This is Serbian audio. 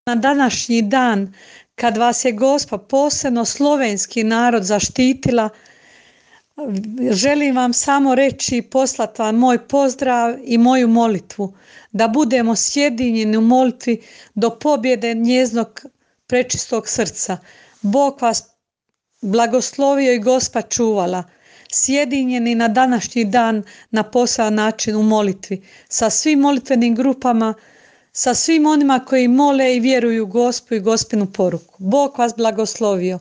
na današnji dan kad vas je Gospa, posebno slovenski narod, zaštitila, želim vam samo reći i poslati vam moj pozdrav i moju molitvu, da budemo sjedinjeni u molitvi do pobjede njeznog prečistog srca. Bog vas blagoslovio i Gospa čuvala, sjedinjeni na današnji dan na poseban način u molitvi, sa svim molitvenim grupama, sa svim onima koji mole i vjeruju u Gospu i Gospinu poruku. Bog vas blagoslovio